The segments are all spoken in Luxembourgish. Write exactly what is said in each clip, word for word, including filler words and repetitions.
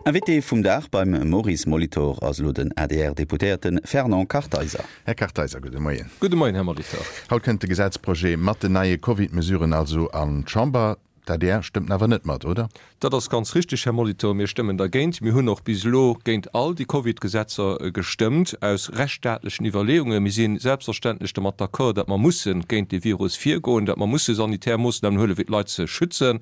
Invité vum Dag beim Maurice Molitor ass elo den A D R-Deputéierte Fernand Kartheiser. Här Kartheiser, gudde Moien. Gudde Moien, Här Molitor. Haut kënnt de Gesetzprojet mat den neie Covid-Mesuren also an d'Chamber. D'A D R stëmmt awer net mat, oder? Dat ass ganz richteg, Här Molitor. Mir stëmmen dergéint. Mir hunn och bis elo géint all déi Covid-Gesetzer gestëmmt, aus rechtsstaatlechen Iwwerleeungen. Mir si selbstverständlech domat d'accord, datt mer musse géint dee Virus virgoen, datt mer musse sanitär Moossnamen huelen, fir d'Leit ze schützen.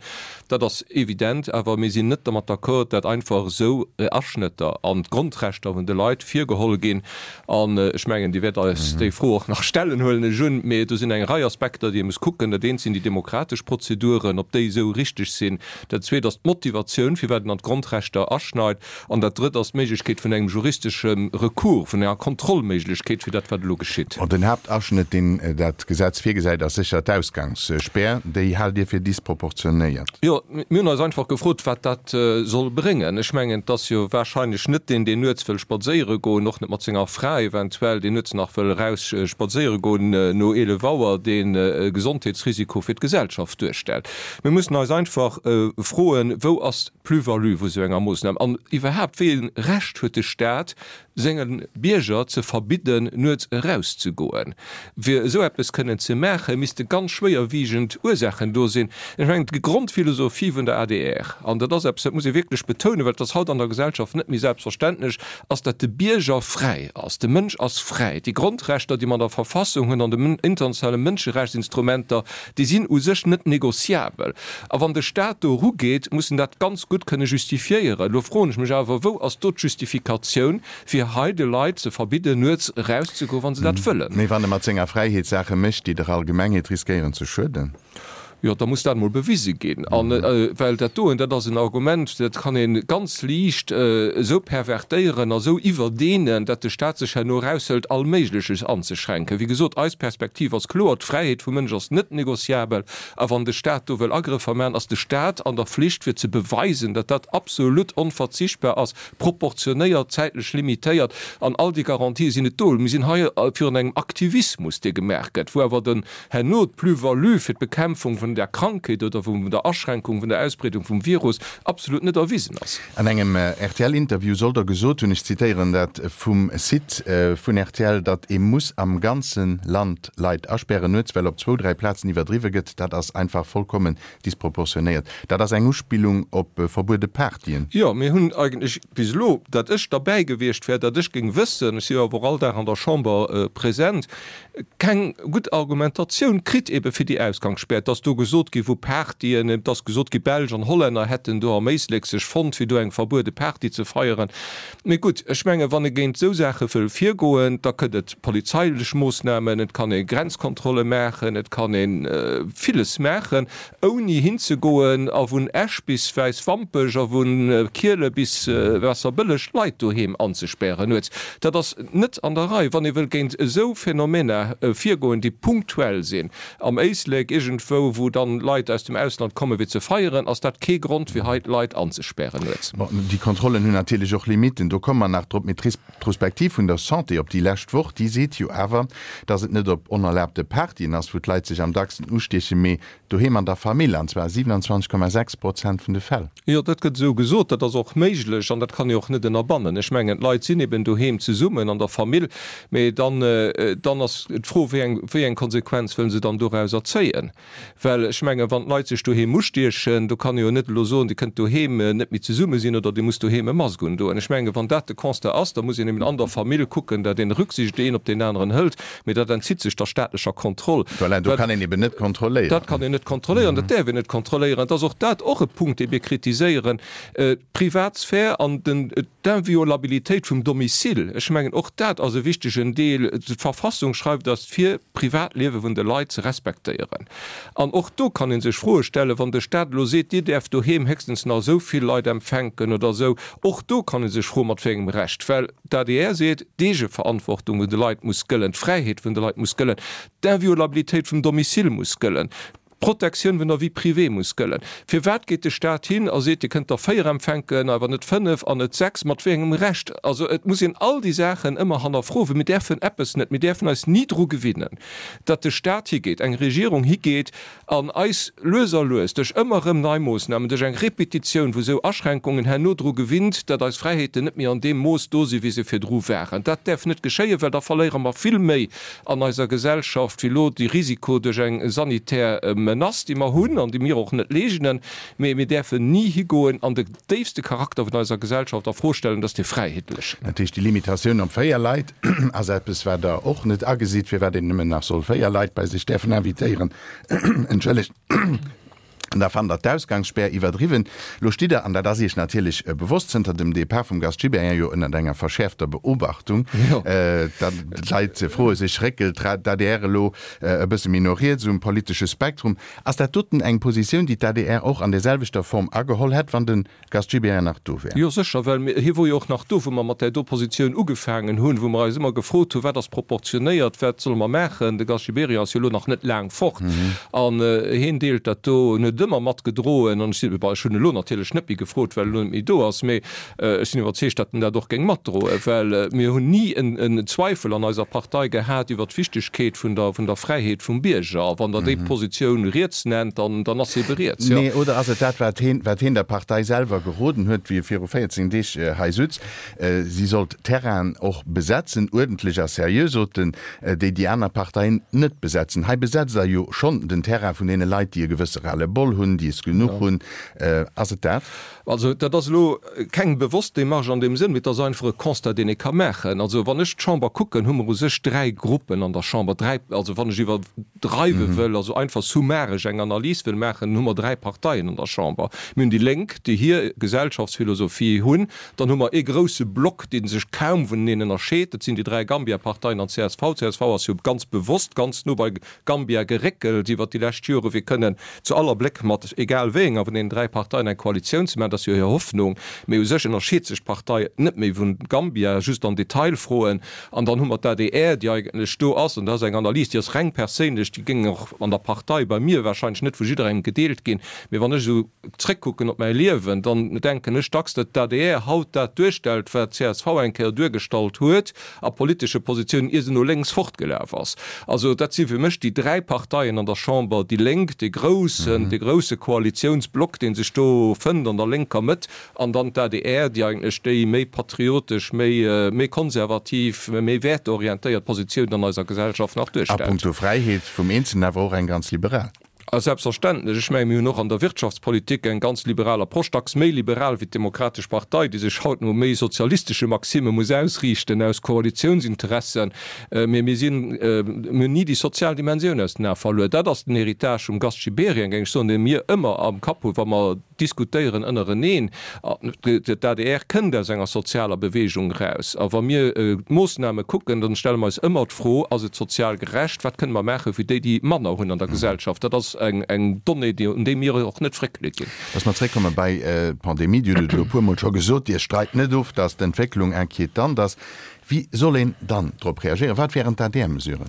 Dat ass evident. Awer mir sinn net domat d'accord, datt einfach esou Aschnëtter an d'Grondrechter vun de Leit virgeholl ginn. An ech mengen, Dir wäert eis déi Fro och nach stellen, huelen ech un. Mee do sinn eng Rei Aspekter, déi ee muss kucken. Dat eent sinn déi demokratesch Prozeduren, ob déi esou richteg sinn. Dat zweet ass d'Motivatioun, firwat een an d'Grondrechter aschneit. An dat drëtt ass d'Méiglechkeet vun engem juristesche Recours, vun enger Kontrollméiglechkeet fir dat, wat elo geschitt. An den Haaptaschnëtt, deen dat Gesetz virgesäit, ass sécher d'Ausgangsspär. Déi haalt Dir fir disproportionéiert? Jo, mir hunn eis einfach gefrot, wat dat soll bréngen. Ech mengen, et ass jo wahrscheinlech net deen, deen nuets wëll spadséiere goen, och net mat senger Fra eventuell, deen nuets nach wëll eraus spadséiere goen no eelef Auer, deen e Gesondheetsrisiko fir d'Gesellschaft duerstellt. Mir mussen eis einfach froen, Wou ass d'Plus-value vu sou enger Moossnam? An iwwerhaapt, wéi e Recht huet de Staat, senge Bierger ze verbidden, nuets erauszegoen? Fir esou eppes kënnen ze maachen, misste ganz schwéierwiegend Ursaachen do sinn. Ech mengen, d'Grondphilosophie vun der A D R, an dat ass eppes, dat muss ee wierklech betounen, well et ass haut an der Gesellschaft net méi selbstverständlech, ass, datt de Bierger fräi ass. De Mënsch ass fräi. Déi Grondrechter, déi mer an der Verfassung hunn, an den internationale Mënscherechtsinstrumenter, déi sinn u sech net négociabel. A wann de Staat do erugeet, muss en dat ganz gutt kënne justifiéieren. Elo froen ech mech awer, Wou ass do d'Justifikatioun, fir hei de Leit ze verbidden, nuets erauszegoen, wa se dat wëllen? Mee wann e mat senger Fräiheet Saache mécht, déi der Allgemengheet riskéieren ze schueden? Jo, da muss dat emol bewise ginn. An well dat doen, dat ass en Argument, dat kann ee ganz liicht esou pervertéieren a sou iwwerdehnen, datt de Staat sech herno eraushëlt, all Méigleches anzeschränken. Wéi gesot, eis Perspektiv ass kloer, D'Fräiheet vum Mënsch ass net négociabel. A wann de Staat do wëll Agrëffer maachen, ass de Staat an der Flicht, fir ze beweisen, datt dat absolut onverzichtbar ass, proportionéiert, zäitlech limitéiert. An all déi Garantië sinn net do. Mir sinn hei virun engem Aktivismus, dee gemaach gëtt, wou awer den herno d'Plus-value fir d'Bekämpfung vun der Krankheet oder vun der Aschränkung vun der Ausbreedung vum Virus absolut net erwisen ass. An engem R T L-Interview soll Der gesot hunn, ech zitéieren dat vum Site vun R T L, datt ee muss am ganze Land Leit aspären nuets, well op zwou, dräi Plazen iwwerdriwwe gëtt. Dat ass einfach vollkommen disproportionéiert. Dat ass eng Uspillung op verbuede Partyen. Jo, mir hunn eigentlech bis elo, datt ech derbäi gewiescht wär, datt ech géing wëssen, ech si jo awer och all Dag an der Chamber present, keng gutt Argumentatioun kritt ebe fir déi Ausgangsspär. Et ass do gesot gi vu Partyen, et ass gesot gi Belsch an Hollänner hätten do am Éislek sech fonnt fir do eng verbuede Party ze feieren. Mee gutt, ech menge wann ee géint esou Saache wëll virgoen, da gëtt et polizeilech Moossnamen, et kann ee Grenzkontrolle maachen, et kann ee villes maachen, ouni hinzegoen a vun Esch bis Wäiswampech a vu Kiele bis Waasserbëlleg Leit doheem anzespären nuets. Dat ass net an der Rei. Wann ee wëll géint esou Phänomener virgoen, déi punktuell sinn, am Éislek iergendwou, wou dann Leit aus dem Ausland kommen, fir ze feieren, ass dat kee Grond, fir hei d'Leit anzespären nuets. Bon, déi Kontrollen hunn natierlech och Limitten, do komme mer nach drop. Mee d'Retrospektiv vun der Santé op déi lescht Woch, déi seet jo awer, dass et net op onerlaabte Partyen ass, wou d'Leit sech am dacksten ustiechen, mee doheem an der Famill, an zwar siewenundzwanzeg Komma sechs Prozent vun de Fäll. Jo, dat gëtt esou gesot. Dat ass och méiglech an dat kann ee och net ënnerbannen. Ech mengen, d'Leit sinn eben doheem zesummen an der Famill, mee dann, dann ass d'Fro, wéi eng, wéi eng Konsequenz wëlle se dann dorauser zéien? Well ech mengen, wann d'Leit sech doheem ustiechen, do kann ee jo net elo soen, Dir kënnt doheem net méi zesumme sinn oder Dir musst doheem e Mask undoen. Ech mengen, wann dat de Constat ass, da muss een eben an der Famill kucken, datt een Rücksicht een op deen aneren hëlt, mee dat entzitt sech der staatlecher Kontroll. Voilà, do kann een eben net kontrolléieren. Dat kann een net kontrolléieren, dat däerf een net kontrolléieren. Et ass och dat och e Punkt, dee mir kritiséieren, d'Privatsphär an den, d'Inviolabilitéit vum Domicile. Ech mengen, och dat ass e wichtegen Deel. D'Verfassung schreift eis vir, d'Privatliewe vun de Leit ze respektéieren. An och do kann ee sech Froe stellen, wann de Staat elo seet, Dir däerft doheem héchstens nach esou vill Leit empfänken oder esou. Och do kann ee sech froen, mat wéi engem Recht. Well d'A D R seet, d'Eegeverantwortung vun de Leit muss gëllen, d'Fräiheet vun de Leit muss gëllen, d'Inviolabilitéit vum Domicile muss gëllen. D'Protektioun vun der Vie privée muss gëllen. Firwat geet de Staat hin a seet, Dir kënnt der véier empfänken, awer net fënnef an net sechs? Mat wéi engem Recht? Also et muss een all déi Saachen ëmmer hannerfroen, well mir däerfen eppes net, mir däerfen eis ni dru gewinnen, datt de Staat higeet, eng Regierung higeet an eis lues a lues duerch ëmmer erëm nei Moossnamen, duerch eng Repetitioun vu sou Aschränkungen herno dru gewinnt, datt eis Fräiheeten net méi an deem Mooss do sinn, wéi se virdru waren. Dat däerf net geschéien, well da verléiere mer vill méi an eiser Gesellschaft wéi elo de Risiko duerch eng sanitär Menace, déi mer hunn an déi mir och net leegnen. Mee mir däerfen ni higoen an de déifste Charakter vun eiser Gesellschaft a Fro stellen, dat ass dee fräiheetlechen. Dat heescht, déi Limitatioun op véier Leit ass eppes, wat Der och net agesitt, firwat een nëmmen nach soll véier Leit bei sech däerfen invitéieren. Entschëllegt. An da fannt Der d'Ausgangsspär iwwerdriwwen. Lo stitt Der, an dat ass Iech natierlech bewosst, zënter dem Depart vum Gast Gibéryen jo ënnert enger verschäerfter Beobachtung. D'Leit froe sech, Réckelt d'ADR elo e bësse méi no riets um politesche Spektrum? Ass dat doten eng Positioun, déi d'ADR och an där selwechter Form ageholl hätt, wann de Gast Gibéryen nach do wär? Jo sécher, well hie wor jo och nach do, wou mer mat där do Positioun ugefaangen hunn, wou mer eis ëmmer gefrot hunn, Wat ass proportionéiert, wat solle mer maachen? De Gast Gibéryen ass jo elo nach net laang fort an hien deelt dat do, en huet et ëmmer matgedroen an ech sinn, bon, ech hunn elo natierlech net méi gefrot, well e elo net méi do ass, mee ech sinn iwwerzeegt, datt en dat och géing matdroen, well mir hunn ni en Zweifel an eiser Partei gehat iwwert d'Wichtegkeet vun der, vun der Fräiheet vum Bierger. A wann Der déi Positioun riets nennt, dann, dann ass se ebe riets, jo. Nee, oder ass et dat, wat hien, wat hien der Partei selwer geroden huet, wéi e viru véierzéng Deeg hei sutz, si sollt Terrainen och besetzen, uerdentlech a seriö, sot en, déi déi aner Parteien net besetzen. Hei besetzt Der jo schonn den Terrain vun deene Leit, déi e gewësse Ras-le-bol hunn, déi es genuch hunn. Ass et dat? Also dat ass elo keng bewosst Démarche an deem Sënn, mee et ass einfach e Constat, deen ee ka maachen. Also wann ech d'Chamber kucken, hu mer u sech dräi Gruppen an der Chamber, dräi, also wann ech iwwerdreiwe wëll, also einfach summaresch eng Analys wëll maachen, hu mer dräi Parteien an der Chamber. Mir hunn déi Lénk, déi hir Gesellschaftsphilosophie hunn. Dann hu mer ee grouse Block, dee sech kaum vuneneen ënnerscheet, dat sinn déi dräi Gambia-Parteien an d'CSV. D'CSV ass jo ganz bewosst ganz no bei Gambia geréckelt iwwert déi lescht Jore fir kënnen zu aller Bléck mat egal wéi enger vun deenen dräi Parteien eng Koalitioun ze maachen. Dat ass jo hir Hoffnung. Mee u sech ënnerscheet sech d'Partei net méi vun Gambia, just an Detailfroen. An dann hu mer d'ADR, déi eigentlech do ass, an dat ass eng Analys, déi ass reng perséinlech, déi géing och an der Partei bei mir wahrscheinlech net vu jidderengem gedeelt ginn. Mee wann ech esou zréckkucken op mäi Liewen, dann denken ech dacks, datt d'ADR haut dat duerstellt, wat d'CSV eng Kéier duergestallt huet a politesche Positiounen, ier se no lénks fortgelaf ass. Also dat si fir mech déi dräi Parteien an der Chamber, déi Lénk, dee groussen, dee grousse Koalitiounsblock, dee sech do fënnt an der lénker Mëtt, an dann d'ADR, déi eigentlech déi méi patriotesch, méi, méi konservativ, méi wäerteorientéiert Positioun an eiser Gesellschaft nach A duerstellt. punkto Fräiheet vum Eenzelnen awer och eng ganz liberal. A selbstverständlech, ech menge mir hunn och an der Wirtschaftspolitik eng ganz liberal Approche, dacks méi liberal wéi d'Demokratesch Partei, déi sech haut no méi sozialistesche Maxime muss ausriichten aus Koalitiounsinteressen. Mee mir sinn, mir hunn ni déi sozial Dimensioun aus den Ae verluer. Dat ass den Héritage vum Gast Gibéryen, géing ech soen, dee mir ëmmer am Kapp hunn, wa mer diskutéieren ënnereneen. D'adr kënnt aus enger sozialer Bewegung eraus. A wa mir d'Moossname kucken, dann stelle mer eis ëmmer d'Fro, Ass et sozial gerecht? Wat kënne mer maache fir déi, déi manner hunn an der Gesellschaft? Dat ass eng Donnée, déi, un déi mir och net fréckele ginn. Dass mer zréckkomme bei d'Pandemie, Dir hutt et elo e puermol scho gesot, Dir streit net of, dass d'Entwécklung inquietant ass. Wéi soll een dann drop reagéieren? Wat wären d'ADR-Mesuren?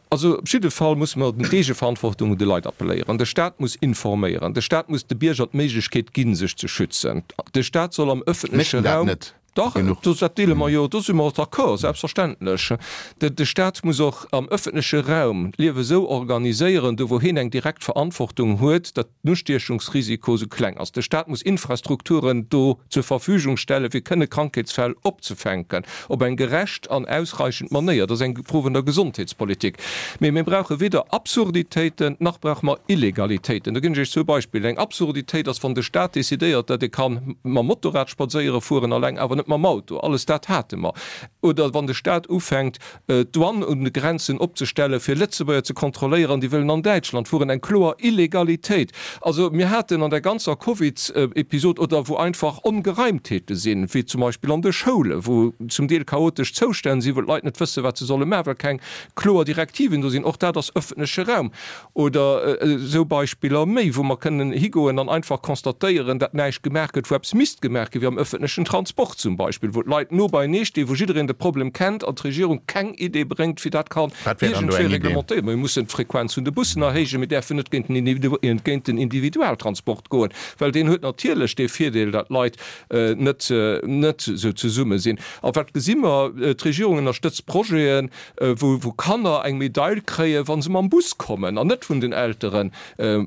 Also op jidde Fall musse mer d'Eegeverantwortung un de Leit appelléieren. De Staat muss informéieren. De Staat muss de Bierger d'Méiglechkeet ginn, sech ze schützen. De Staat soll am Mécht ëffentleche en dat Raum. net Dach, genuch? dat deele mer jo, do si mer d'accord, selbstverständlech. De Staat muss och am ëffentleche Raum d'Liewe sou organiséieren, do wou hien eng direkt Verantwortung huet, datt den Ustiechungsrisiko sou kleng ass. De Staat muss Infrastrukturen do zur Verfügung stellen, fir kënne Krankheetsfäll opzefänken, op eng gerecht an ausreichend Manéier. Dat ass eng Fro vun der Gesondheetspolitik. Mee mir brauche weder Absurditéiten, nach brauche mer Illegalitéiten. Do ginn ech Iech zwou Beispiller. Eng Absurditéit ass, wann de Staat decidéiert, datt ee ka mam Motorrad spadséiere fueren alleng, awer net mam Auto. Alles dat hate mer. Oder wann de Staat ufänkt, d'Douane un de Grenzen opzestellen, fir Lëtzebuerger ze kontrolléieren, déi wëllen an Däitschland fueren, eng kloer Illegalitéit. Also mir haten an der ganzer Covid-Episod, oder wou einfach Ongereimtheete sinn, wéi zum Beispill an de Schoulen, wou zum Deel chaotesch Zoustänn sinn, wou d'Leit net wëssen, wat se solle maachen, well keng kloer Direktiven do sinn, och dat ass öffentleche Raum. Oder esou Beispiller méi, wou mer kënnen higoen an einfach constatéieren, datt näischt gemaach gëtt, wou eppes misst gemaach ginn, wéi am öffentlechen Transport zum zum Beispill, wou d'Leit no beienee stinn, wou jiddereen de Problem kennt an d'Regierung keng Idee bréngt, wéi dat kann Wat wär dann do iergendwéi eng Idee? reglementéiert. Mir mussen d'Frequenz vun de Bussen erhéijen, mir däerfen net géint den géint den Individualtransport goen, well deen huet natierlech dee Virdeel, datt d'Leit net net esou zesumme sinn. A wat gesi mer? D'Regierung ënnerstëtzt Projeten, wou wou Kanner eng Medail kréien, wa se mam Bus kommen an net vun den Eltere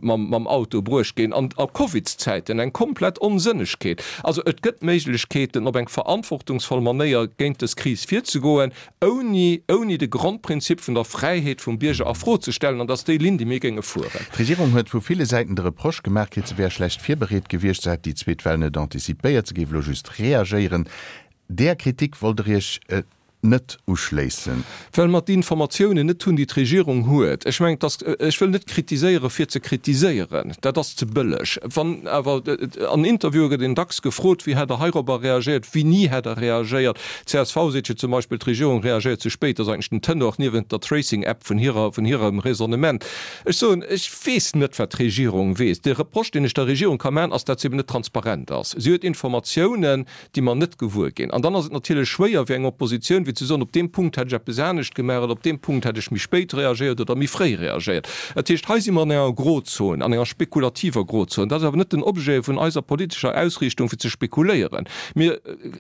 mam mam Auto bruecht ginn, an a Covidszäiten, eng komplett Onsënnegkeet. Also et gëtt Méiglechkeeten, op eng verantwortungsvoll Manéier géint dës Kris virzegoen, ouni ouni de Grondprinzip vun der Fräiheet vum Bierger a Fro ze stellen, an dat ass déi Linn, déi mir géinge fueren. D'Regierung huet vu ville Säiten de Reproche gemaach kritt, se wär schlecht virbereet gewiescht, se hätt déi zweet Well net antizipéiert, se géif elo just reagéieren. Där Kritik wollt Der Iech net uschléissen. Well mer d'Informatiounen net hunn, déi d'Regierung huet. Ech mengen, dass, ech wëll net kritiséiere fir ze kritiséieren, dat ass ze bëlleg. Wann awer, an Interviewe gëtt een dacks gefrot, wéi hätt Der heirobber reagéiert, wéini hätt Der reagéiert. D'CSV seet jo zum Beispill, d'Regierung reagéiert ze spéit. Dat ass eigentlech den Tenor niewent der Tracing-App vun hirer, vun hirem Raisonnement. Ech soen, ech weess net, wat d'Regierung weess. De Reproche, deen ech der Regierung ka maachen, ass, dat se eben net transparent ass. Si huet Informatiounen, déi mer net gewuer ginn. An dann ass et natierlech schwéier fir eng Oppositioun, wéi ze soen, op deem Punkt hätt ech eppes anescht gemaach oder op deem Punkt hätt ech méi spéit reagéiert oder méi fréi reagéiert. Dat heescht, hei si mer an enger Grozon, an enger spekulativer Grozon. Dat ass awer net den Objet vun eiser politescher Ausriichtung, fir ze spekuléieren. Mir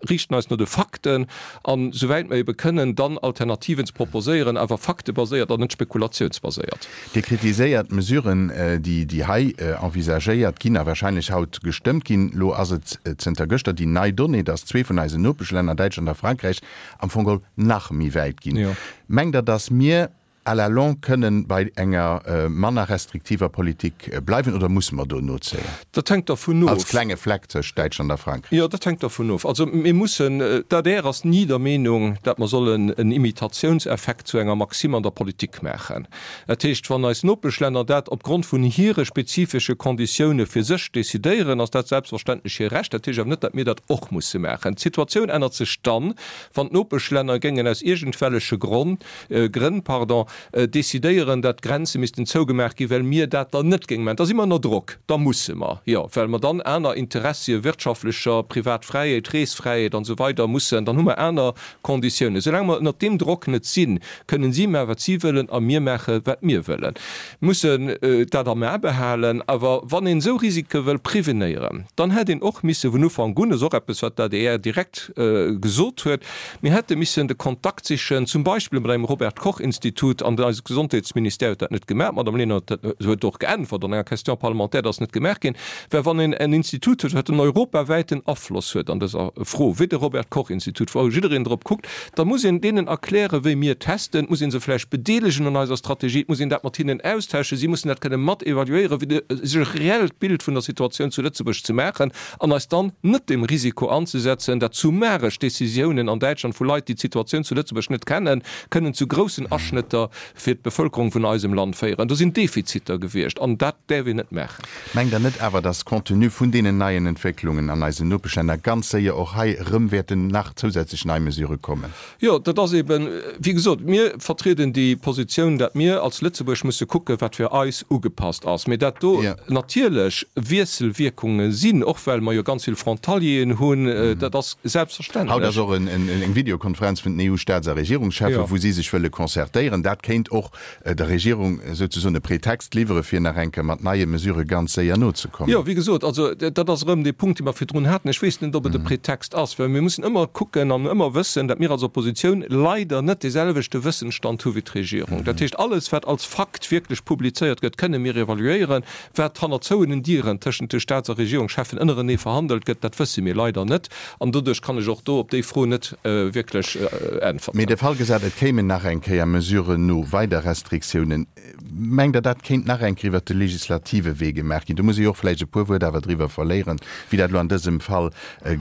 riichten eis no de Fakten an, souwäit mer ebe kënnen, dann Alternativen ze proposéieren, awer faktebaséiert an net spekulatiounsbaséiert. Dir kritiséiert d'Mesuren, déi hei envisagéiert ginn a wahrscheinlech haut gestëmmt ginn. Elo ass et zënter gëschter déi nei Donnée, dass zwee vun eisen Nopeschlänner, Däitschland a Frankräich, am Fong geholl nach méi wäit ginn. Mengt Der, dass mir à la longue kënnen bei enger manner restriktiver Politik bleiwen oder musse mer do nozéien? Dat hänkt dervun of. Als klenge Fleck tëscht Däitschland a Frankräich. Jo, dat hänkt dervun of. Also mir mussen, d'ADR ass ni der Meenung, datt mer sollen en Imitatiounseffekt zu enger Maxime an der Politik maachen. Dat heescht, wann eis Nopeschlänner dat opgrond vun hire spezifesche Konditioune fir sech decidéieren, ass dat selbstverständlech hir Recht. Dat heescht awer net, datt mir dat och musse maachen. D'Situatioun ännert sech dann, wann d'Nopeschlänner géingen aus iergendwelleche Gronn, Grënn, pardon, decidéieren, datt d'Grenze missten zougemaach ginn, well mir dat dann net géinge maachen. Da si mer ënner Drock, da musse mer, jo, well mer dann aner Interessie wirtschaftlecher, privat Fräiheet, Reesfräiheet an esou weider mussen, dann hu mer aner Konditiounen. Soulaang mer ënnert deem Drock net sinn, kënnen si maachen, wat si wëllen, a mir maache wat mir wëllen. Mir mussen dat am A behalen. Awer wann een esou Risike wëll prevenéieren, dann hätt een och misse vun Ufank un, dat ass och eppes, wat d'ADR direkt gesot huet, mir hätte missen de Kontakt sichen, zum Beispill mat engem Robert Koch Institut, an eise Gesondheetsministère huet dat net gemaach, d'Madame Lenert huet och geäntwert an enger Question parlementaire, dass net gemaach ginn wär. Wann een en Institut huet, wat en europawäiten Afloss huet an dëser Fro, wéi de Robert Koch Institut, wou jiddereen drop kuckt, da muss een deenen erklären, wéi mir testen, et muss ee se vläicht bedeelegen un eiser Strategie, et muss een dat mat hinnen austauschen, si mussen dat kënne mat evaluéieren, fir sech e reellt Bild vun der Situatioun zu Lëtzebuerg ze maachen an eis dann net dem Risiko anzesetzen, dat summaresch Décisiounen an Däitschland vu Leit, déi d'Situatioun zu Lëtzebuerg net kennen, kënnen zu groussen Aschnëtter fir d'Bevölkerung vun eisem Land féieren. Do sinn Defiziter gewiescht an dat däerf een net maachen. Mengt Der net awer, dass compte tenu vun deenen neien Entwécklungen an eisen Nopeschlänner ganz séier och hei erëm wäerten nach zousätzlech nei Mesurë kommen? Jo, dat ass eben, wéi gesot, mir vertrieden déi Positioun, dat mir als Lëtzebuerg musse kucken, wat fir eis ugepasst ass, mee dat do natierlech Wiesselwierkunge sinn, och well mer jo ganz vill Frontalieren hunn, dat ass selbstverständlech. Haut ass och eng Videokonferenz vun den EU-Staats a Regierungscheffen, wou si sech wëlle concertéieren. Dat kéint och der Regierung souzesoen e Pretext liwwere fir nach eng Kéier mat neie Mesurë ganz séier nozekommen. Jo, wéi gesot, also dat ass erëm dee Punkt, dee mer virdrun haten. Ech weess net, ob et e Pretext ass, well mir mussen ëmmer kucken an ëmmer wëssen, datt mir als Oppositioun leider net deeselwechte Wëssensstand hu wéi d'Regierung. Dat heescht, alles, wat als Fakt wierklech publizéiert gëtt, kënne mir evaluéieren. Wat hanner zouenen Dieren tëschent de Staats a Regierungscheffen ënnerenee verhandelt gëtt, dat wësse mir leider net. An doduerch kann ech och do op déi Fro net wierklech äntwerten. Mee de Fall gesat, et kéimen nach eng Kéier Mesuren no, weider Restriktiounen, mengt Der, dat kéint nach eng Kéier iwwert de legislative Wee gemaach ginn? Do muss ee jo och vläicht e puer Wuert awer driwwer verléieren, wéi dat elo an dësem Fall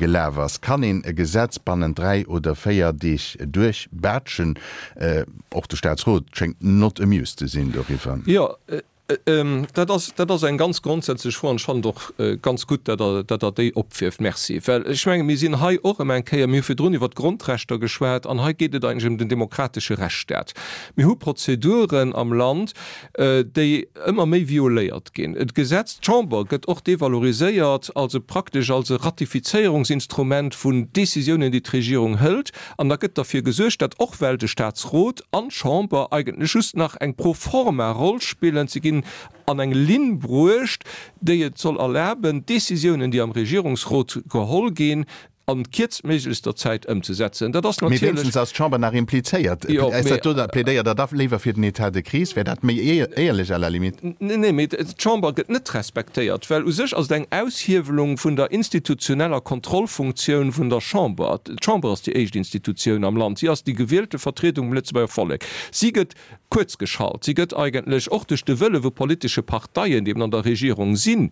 gelaf ass. Kann een e Gesetz bannent dräi oder véier Deeg duerchbaatschen? Och de Staatsrot schéngt not amused ze sinn doriwwer. Jo, Dat ass, dat ass eng ganz grondsätzlech Fro an ech fannen et och ganz gutt, datt Der, datt Der déi opwierft. Merci. Well ech menge mir sinn hei och ëm eng Kéier, mir hu virdrun iwwert d'Grondrechter geschwat an hei geet et eigentlech ëm den demokratesche Rechtsstaat. Mir hu Prozeduren am Land, déi ëmmer méi violéiert ginn. D'Gesetz, d'Chamber gëtt och devaloriséiert als e praktesch als e Ratifizéierungsinstrument vun Décisiounen, déi d'Regierung hëlt. An da gëtt derfir gesuergt, dat och well de Statsrot an d'Chamber eigentlech just nach eng pro forma Roll spillen, se ginn an eng Linn bruecht, déi et soll erlaben, d'Décisiounen, déi am Regierungsrot geholl ginn, an kierztméiglechster Zäit ëmzesetzen. Dat ass Mee natierlech. wéinstens ass d'Chamber nach implizéiert. Jo, Ass mee. dat do, da plädéiert Der da léiwer fir den État de crise? Wär dat méi éierlech à la limite? Nee, nee, mee d'Chamber gëtt net respektéiert, well u sech ass et eng Aushiewelung vun der institutioneller Kontrollfunktioun vun der Chamber. D'Chamber ass déi éischt Institutioun am Land. Si ass déi gewielte Vertriedung vum Lëtzebuerger Vollek. Si gëtt kuerzgeschalt. Si gëtt eigentlech och duerch de Wëlle vu politesche Parteien, déi eben an der Regierung sinn,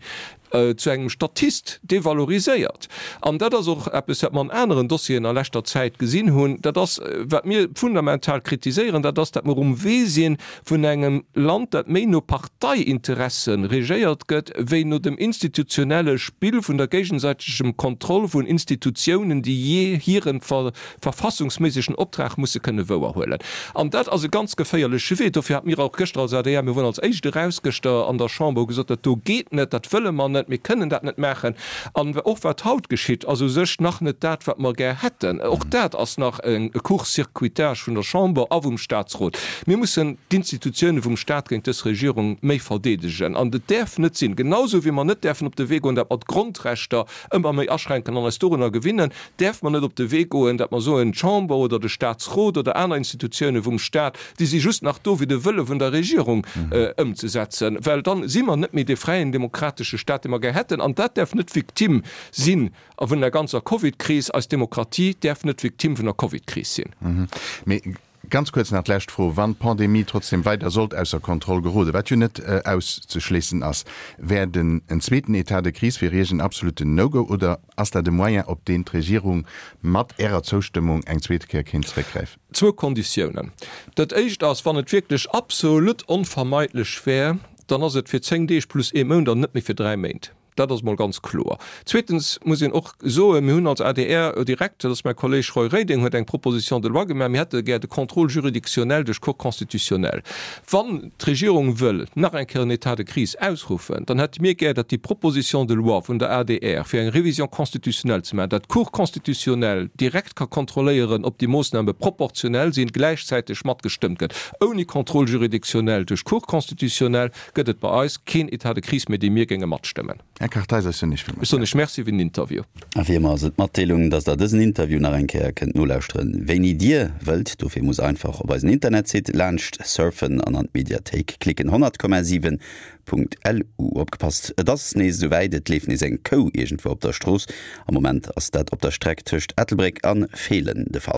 zu engem Statist devaloriséiert. An dat ass och eppes, wat mer an aneren Dossieren a leschter Zäit gesinn hunn. Dat ass, wat mir fundamental kritiséieren, dat ass, datt mer um Wee si vun engem Land, dat méi no Parteiinteresse regéiert gëtt, wéi no dem institutionelle Spill vun der géigesäitegem Kontroll vun Institutiounen, déi jee hiren verfassungsméissegen Optrag musse kënne wouerhuelen. An dat ass e ganz geféierleche Wee. Dofir hate mir och gëschter als adr, mir woren als Éischt eraus gëschter an der Chamber, hu gesot, dat do geet net, dat wëlle mer net, mir kënnen dat net maachen. An och wat haut geschitt, ass u sech nach net dat, wat mer gär hätten. Och dat ass nach e Court-circuitage vun der Chamber a vum Statsrot. Mir mussen d'Institutioune vum Stat géint dës Regierung méi verdeedegen. An et däerf net sinn, genausou wéi mer net däerfen op de Wee goen, datt mer d'Grondrechter ëmmer méi aschränken an eis dorunner gewinnen, däerfe mer net op de Wee goen, datt mer soen, d'Chamber oder de Statsrot oder aner Institutioune vum Stat, déi si just nach do, fir de Wëlle vun der Regierung ëmzesetzen, well dann si mer net méi dee fräien demokratesche Stat, dee mer gär hätten. An dat däerf net d'Victime si vun der ganzer Covid-Kris. Eis Demokratie däerf net d'Victime vun der Covid-Kris sinn. Mee ganz kuerz nach d'lescht Fro, Wann d'Pandemie trotzdem weider sollt ausser Kontroll geroden, wat jo net auszeschléissen ass, wär den en zweeten État de crise fir Iech en absoluten No-Go oder ass dat e Moyen, op deen d'Regierung mat Ärer Zoustëmmung eng zweete Kéier kéint zeréckgräifen? Zwou Konditiounen. Dat éischt ass, wann et wierklech absolut onvermeidlech wär, dann ass et fir zéng Deeg plus ee Mount an net méi fir dräi Méint. Dat ass mol ganz kloer. Zweetens muss een och soen, mir hunn als adr direkt, dat ass mäi Kolleg Roy Reding huet eng Proposition de loi gemaach, mir hätte gär de Contrôle juridictionnel duerch d'Cour constitutionnelle. Wann d'Regierung wëll nach eng Kéier en État de crise ausruffen, dann hätte mir gär, datt déi Proposition de loi vun der adr, fir eng Révision constitutionnelle ze maachen, datt d'Cour constitutionnelle direkt ka kontrolléieren, ob déi Moossname proportionell sinn, gläichzäiteg matgestëmmt gëtt. Ouni Contrôle juridictionnel duerch d'Cour constitutionnelle gëtt et bei eis keen État de crise méi, dee mir géinge matstëmmen. Här Kartheiser, ech soen Iech villmools Ech soen Iech Merci fir den Interview. A wéi ëmmer ass et d'Matdeelung, dass der dësen Interview nach eng Kéier kënnt nolauschteren, wéini Dir wëllt. Dofir musst einfach op eisen Internetsite laanscht surfen an an d'Mediathéik klicken. honnert Komma siwen Punkt lu. Opgepasst, et ass nees esouwäit, et leeft nees eng Kou iergendwou op der Strooss. Am Moment ass dat op der Streck tëscht Ettelbréck an Feelen de Fall.